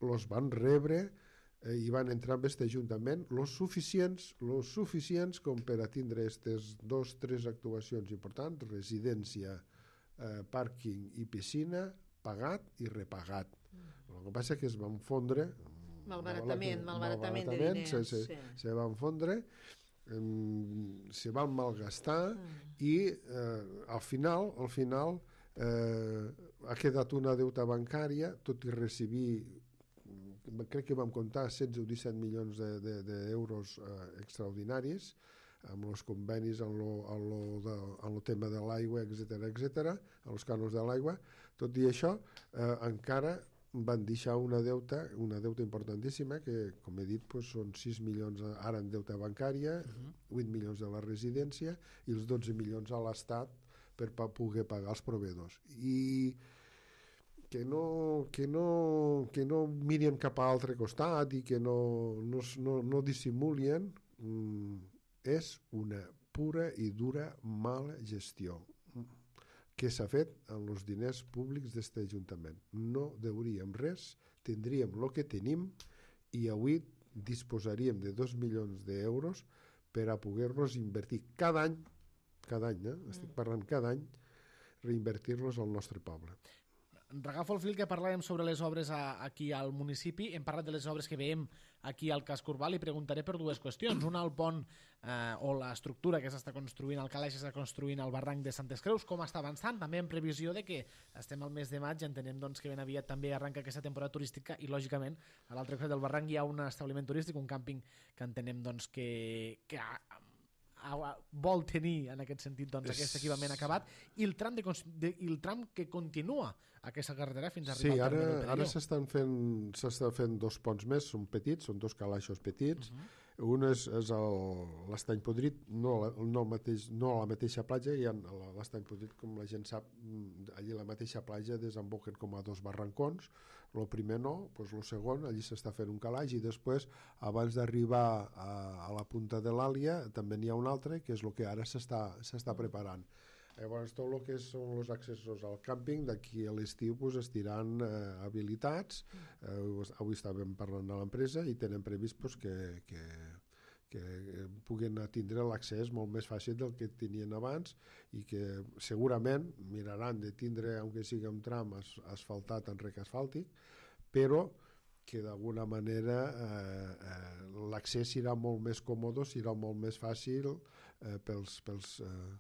els van rebre eh, i van entrar en aquest ajuntament los suficients, los suficients com per a tindre aquestes dos, tres actuacions importants, residència, eh, pàrquing i piscina, pagat i repagat. El que passa és que es van fondre malbaratament, malbaratament de diners se, se, sí. se van fondre eh, se van malgastar mm. i eh, al final al final eh, ha quedat una deuta bancària, tot i recibir, crec que vam comptar setze o disset milions d'euros de, de, eh, extraordinaris amb els convenis en lo, en lo, de, en lo tema de l'aigua, etcètera, etcètera, en els cànons de l'aigua. Tot i això, eh, encara van deixar una deuta, una deuta importantíssima, que, com he dit, pues, són sis milions ara en deuta bancària, uh-huh. vuit milions de la residència i els dotze milions a l'Estat per pa poder pagar els proveïdors. I que no, que no, que no miren cap a altre costat i que no, no, no, no dissimulien, mm, és una pura i dura mala gestió que s'ha fet amb els diners públics d'aquest Ajuntament. No deuríem res, tindríem el que tenim i avui disposaríem de dos milions d'euros per a poder-los invertir cada any, cada any, eh? estic parlant cada any, reinvertir-los al nostre poble. Regafo el fil que parlàvem sobre les obres a, aquí al municipi. Hem parlat de les obres que veiem aquí al casc urbà. Li preguntaré per dues qüestions. Una, el pont eh, o l'estructura que s'està construint, el calaix que s'està construint al barranc de Santes Creus, com està avançant, també en previsió de que estem al mes de maig, entenem doncs, que ben aviat també arranca aquesta temporada turística i, lògicament, a l'altre costat del barranc hi ha un establiment turístic, un càmping que entenem doncs, que, que ha, vol tenir en aquest sentit doncs, aquest equipament acabat, i el tram, de, de, i el tram que continua aquesta carretera fins a arribar sí, al terme del Perelló. Ara s'estan fent, s'estan fent dos ponts més, són petits, són dos calaixos petits. Uh-huh. Un és, és l'Estany Podrit, no, no, el mateix, no a la mateixa platja, i l'Estany Podrit, com la gent sap, allí a la mateixa platja desemboquen com a dos barrancons. El primer no, doncs el segon, allí s'està fent un calaix, i després, abans d'arribar a, a la punta de l'Àlia, també n'hi ha un altre, que és el que ara s'està s'està preparant. Llavors, tot el que són els accessos al càmping, d'aquí a l'estiu pues, estiran eh, habilitats. Eh, avui estàvem parlant de l'empresa i tenen previst pues, que, que, que puguen tindre l'accés molt més fàcil del que tenien abans i que segurament miraran de tindre, aunque sigui un tram as, asfaltat en rec asfàltic, però que d'alguna manera eh, eh, l'accés serà molt més còmode, serà molt més fàcil eh, pels... pels eh,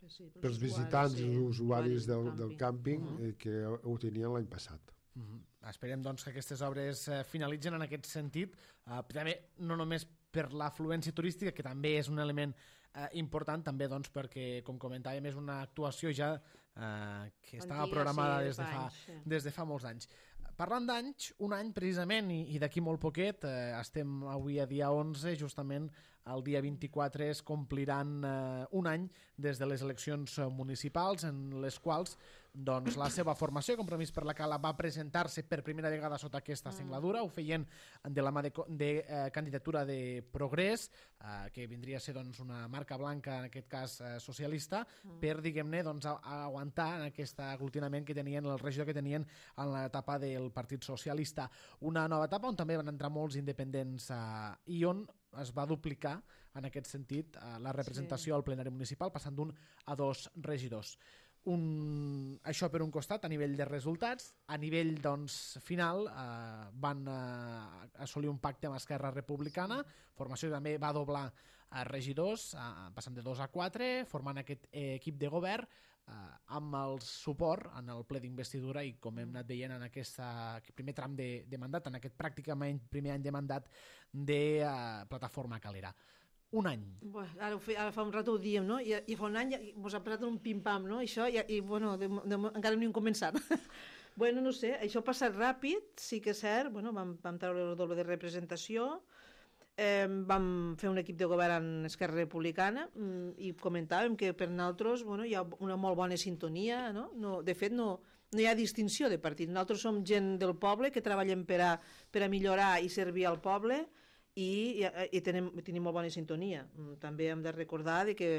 Sí, pels visitants i sí, usuaris del, del del càmping uh-huh. eh, que ho tenien l'any passat. Uh-huh. Esperem doncs, que aquestes obres eh, finalitzen en aquest sentit, eh, també no només per l'afluència turística, que també és un element eh, important, també doncs, perquè, com comentàvem, és una actuació ja eh, que estava Antiga, programada sí, des, de fa, anys, sí. des de fa molts anys. Parlant d'anys, un any precisament, i, i d'aquí molt poquet, eh, estem avui a dia onze, justament el dia vint-i-quatre es compliran eh, un any des de les eleccions municipals, en les quals doncs, la seva formació, Compromís per la Cala, va presentar-se per primera vegada sota aquesta singladura. Ho feien de la mà de, de eh, candidatura de Progrés, eh, que vindria a ser doncs, una marca blanca, en aquest cas eh, socialista, mm. per, diguem-ne, doncs, a, a aguantar en aquest aglutinament que tenien, el regidor que tenien en l'etapa del Partit Socialista. Una nova etapa on també van entrar molts independents eh, i on es va duplicar, en aquest sentit, eh, la representació sí. al plenari municipal, passant d'un a dos regidors. Un, això per un costat a nivell de resultats. A nivell doncs, final eh, van eh, assolir un pacte amb Esquerra Republicana, formació que també va doblar eh, regidors, eh, passant de dos a quatre, formant aquest eh, equip de govern eh, amb el suport en el ple d'investidura i com hem anat veient en aquesta, aquest primer tram de, de mandat, en aquest pràcticament primer any de mandat de eh, Plataforma Calera. Un any. Bueno, ara, fe, ara fa un rato ho diem, no? I, i fa un any ens ha passat un pim-pam, no? Això, i, i bueno, de, de, encara no hem començat. Bueno, no sé, això ha passat ràpid, sí que és cert, bueno, vam, vam treure el doble de representació, eh, vam fer un equip de govern en Esquerra Republicana mm, i comentàvem que per nosaltres bueno, hi ha una molt bona sintonia, no? No, de fet, no, no hi ha distinció de partit. Nosaltres som gent del poble que treballem per a, per a millorar i servir al poble, i, i, i tenim, tenim molt bona sintonia. També hem de recordar de que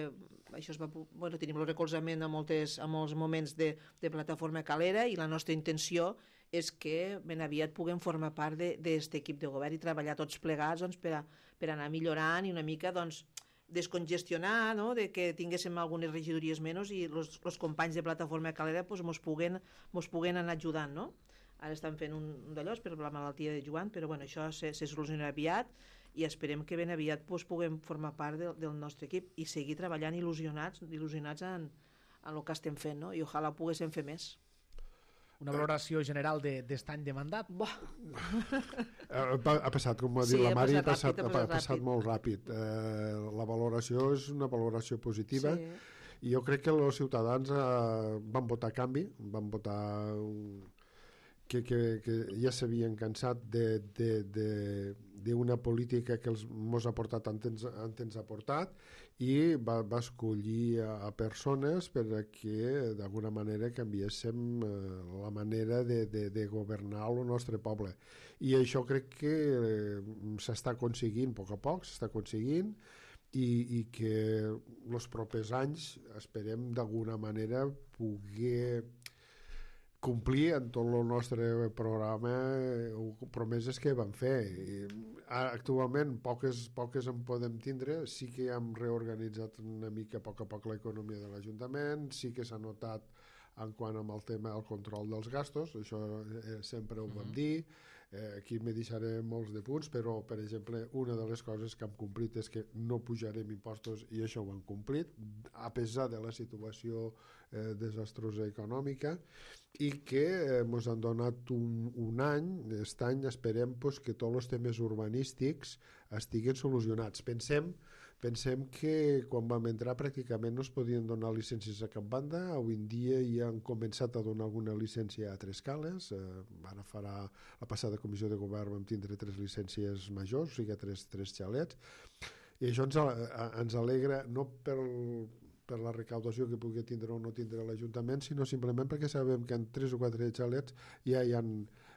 això es va, bueno, tenim el recolzament a, moltes, a molts moments de, de Plataforma Calera i la nostra intenció és que ben aviat puguem formar part d'aquest equip de govern i treballar tots plegats doncs, per, a, per anar millorant i una mica doncs, descongestionar, no? De que tinguéssim algunes regidories menys i els companys de Plataforma Calera doncs, mos, puguen, mos puguen anar ajudant, no? Ara estan fent un, un d'allò per la malaltia de Joan, però bueno, això se, se solucionarà aviat i esperem que ben aviat pues, puguem formar part de, del nostre equip i seguir treballant il·lusionats, il·lusionats en, en el que estem fent, no? I ojalà poguéssim fer més. Una valoració general d'aquest any de mandat? Buah. Ha passat, com ha dit sí, la Mari, ha passat, passat, ràpid, ha passat molt ràpid. Eh, la valoració és una valoració positiva sí. i jo crec que els ciutadans eh, van votar canvi, van votar un Que, que, que ja s'havien cansat d'una política que els mos ha portat tant ens ha portat i va, va escollir a, a persones perquè d'alguna manera canviéssim eh, la manera de, de, de governar el nostre poble. I això crec que eh, s'està aconseguint a poc a poc, s'està aconseguint i, i que els propers anys esperem d'alguna manera poder complir en tot el nostre programa promeses que vam fer. I actualment poques, poques en podem tindre, sí que hem reorganitzat una mica a poc a poc l'economia de l'Ajuntament, sí que s'ha notat en quant amb el tema del control dels gastos, això eh, sempre ho vam dir, eh, aquí me deixaré molts de punts, però per exemple una de les coses que hem complit és que no pujarem impostos i això ho hem complit, a pesar de la situació eh, desastrosa econòmica i que ens eh, han donat un, un any, aquest any esperem pues, que tots els temes urbanístics estiguen solucionats. Pensem Pensem que quan vam entrar pràcticament no es podien donar llicències a cap banda, avui en dia ja han començat a donar alguna llicència a tres cales, eh, ara farà la passada comissió de govern vam tindre tres llicències majors, o sigui tres, tres xalets, i això ens, ens alegra no per, per la recaudació que pugui tindre o no tindre l'Ajuntament, sinó simplement perquè sabem que en tres o quatre xalets ja hi ha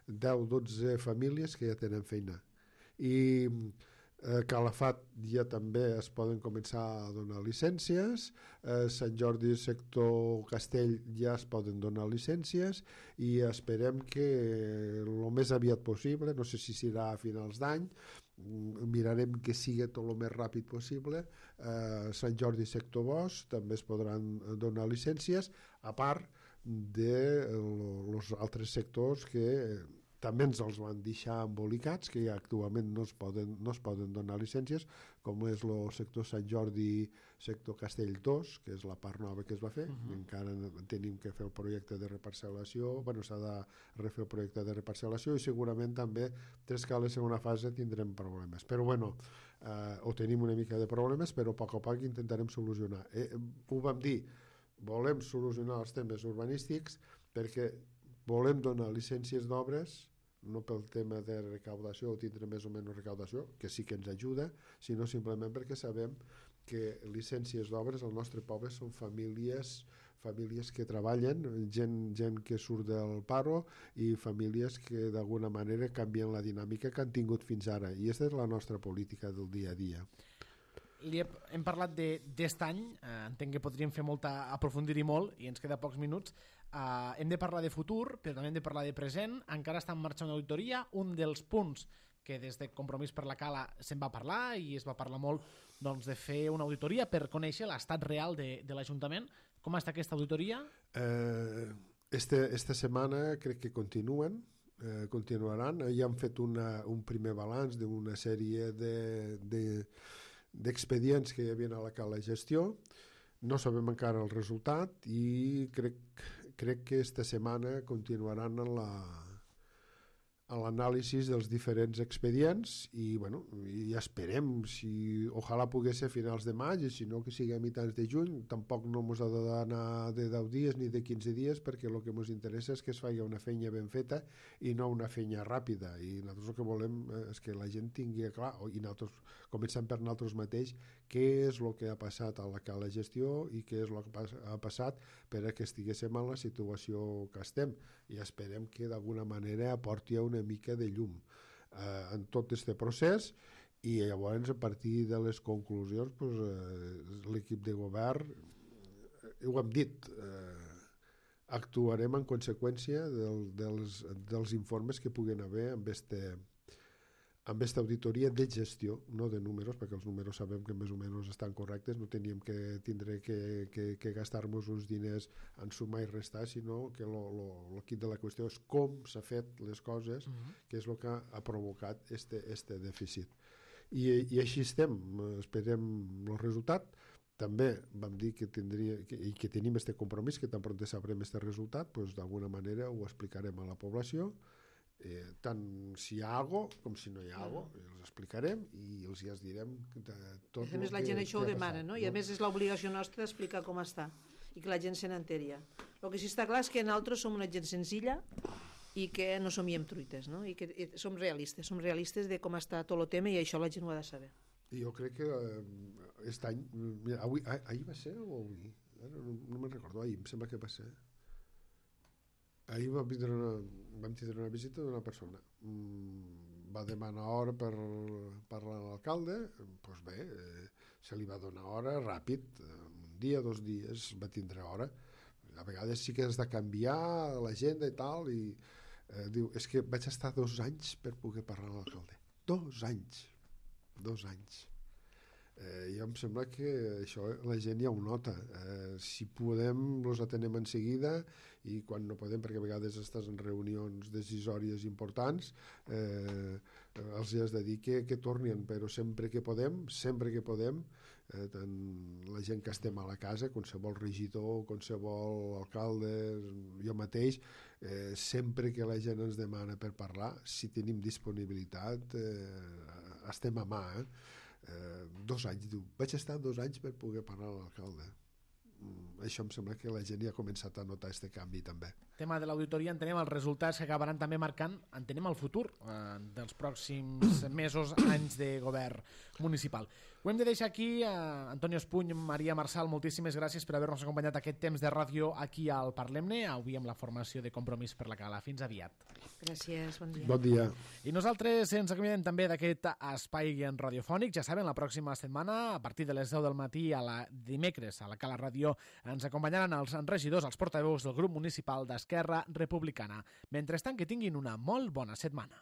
deu o dotze famílies que ja tenen feina. I Eh, Calafat ja també es poden començar a donar llicències, eh, Sant Jordi sector Castell ja es poden donar llicències i esperem que el més aviat possible, no sé si serà a finals d'any, mirarem que sigui tot el més ràpid possible, eh, Sant Jordi sector Bosch també es podran donar llicències, a part dels altres sectors que també ens els van deixar embolicats, que ja actualment no es poden, no es poden donar llicències, com és el sector Sant Jordi, sector Castell dos, que és la part nova que es va fer. Uh-huh. Encara tenim que fer el projecte de reparcel·lació, bueno, s'ha de refer el projecte de reparcel·lació i segurament també tres cales en una fase tindrem problemes. Però bueno, eh, o tenim una mica de problemes, però a poc a poc intentarem solucionar. Eh, ho vam dir, volem solucionar els temes urbanístics perquè volem donar llicències d'obres no pel tema de recaudació o tindre més o menys recaudació, que sí que ens ajuda, sinó simplement perquè sabem que llicències d'obres al nostre poble són famílies famílies que treballen, gent, gent que surt del paro i famílies que d'alguna manera canvien la dinàmica que han tingut fins ara, i aquesta és la nostra política del dia a dia. Li he, hem parlat d'aquest any, eh, entenc que podríem fer molta, aprofundir-hi molt i ens queda pocs minuts. Uh, hem de parlar de futur, però també hem de parlar de present. Encara està en marxa una auditoria. Un dels punts que des de Compromís per la Cala se'n va parlar i es va parlar molt doncs, de fer una auditoria per conèixer l'estat real de, de l'Ajuntament, Com està aquesta auditoria? Eh, este, esta setmana crec que continuen, eh, continuaran. Ja han fet una, un primer balanç d'una sèrie de, de, d'expedients que hi havia a la cala de gestió. No sabem encara el resultat i crec, crec que esta setmana continuaran en la a l'anàlisi dels diferents expedients i, bueno, i esperem si ojalà pogués ser a finals de maig i si no que sigui a mitjans de juny. Tampoc no ens ha d'anar de deu dies ni de quinze dies perquè el que ens interessa és que es faci una feina ben feta i no una feina ràpida, i nosaltres el que volem és que la gent tingui clar, i nosaltres començant per nosaltres mateix, què és el que ha passat a la cala de gestió i què és el que ha passat per a que estiguéssim en la situació que estem, i esperem que d'alguna manera aporti una mica de llum eh, en tot aquest procés, i llavors a partir de les conclusions pues, eh, l'equip de govern, eh, ho hem dit, eh, actuarem en conseqüència del, dels, dels informes que puguen haver amb este amb aquesta auditoria de gestió, no de números, perquè els números sabem que més o menys estan correctes, no teníem que tindre que, que, que gastar-nos uns diners en sumar i restar, sinó que el quid de la qüestió és com s'ha fet les coses, uh-huh. que és el que ha provocat este, este dèficit. I, I així estem, esperem el resultat. També vam dir que tindria que, i que tenim este compromís, que tan pront sabrem este resultat, doncs d'alguna manera ho explicarem a la població. Eh, tant si hi ha algo com si no hi ha algo, els explicarem i els ja els direm de tot a més la gent això ho demana, no? I a més és l'obligació nostra d'explicar com està i que la gent se n'enteri. El que sí està clar és que nosaltres som una gent senzilla i que no som truites, no? I que i som realistes, som realistes de com està tot el tema, i això la gent ho ha de saber. I jo crec que eh, aquest any, mira, avui, ah, ahir va ser o avui? No, no me'n recordo, ahir em sembla que va ser. Ahir vam tindre una, vam tindre una visita d'una persona. Mm, va demanar hora per parlar amb l'alcalde, doncs bé, eh, se li va donar hora ràpid, un dia, dos dies, va tindre hora. A vegades sí que has de canviar l'agenda i tal, i eh, diu, és que vaig estar dos anys per poder parlar amb l'alcalde. Dos anys. Dos anys. Eh, jo em sembla que això la gent ja ho nota. Eh, si podem, els atenem en seguida, i quan no podem, perquè a vegades estàs en reunions decisòries importants, eh, els has de dir que, que tornin, però sempre que podem, sempre que podem, eh, tant la gent que estem a la casa, qualsevol regidor, qualsevol alcalde, jo mateix, eh, sempre que la gent ens demana per parlar, si tenim disponibilitat, eh, estem a mà, eh? Eh, dos anys, diu, vaig estar dos anys per poder parlar amb l'alcalde. Mm, això em sembla que la gent ja ha començat a notar aquest canvi també. Tema de l'auditoria, entenem els resultats que acabaran també marcant, entenem el futur eh, dels pròxims mesos, anys de govern municipal. Ho hem de deixar aquí. eh, Antonio Espuny, Maria Marçal, moltíssimes gràcies per haver-nos acompanyat aquest temps de ràdio aquí al Parlem-ne, avui amb la formació de Compromís per la Cala. Fins aviat. Gràcies, bon dia. Bon dia. I nosaltres ens acomiadem també d'aquest espai radiofònic. Ja saben, la pròxima setmana, a partir de les deu del matí, a la dimecres, a la Cala Ràdio, ens acompanyaran els regidors, els portaveus del grup municipal d'Esquerra Republicana. Mentrestant, que tinguin una molt bona setmana.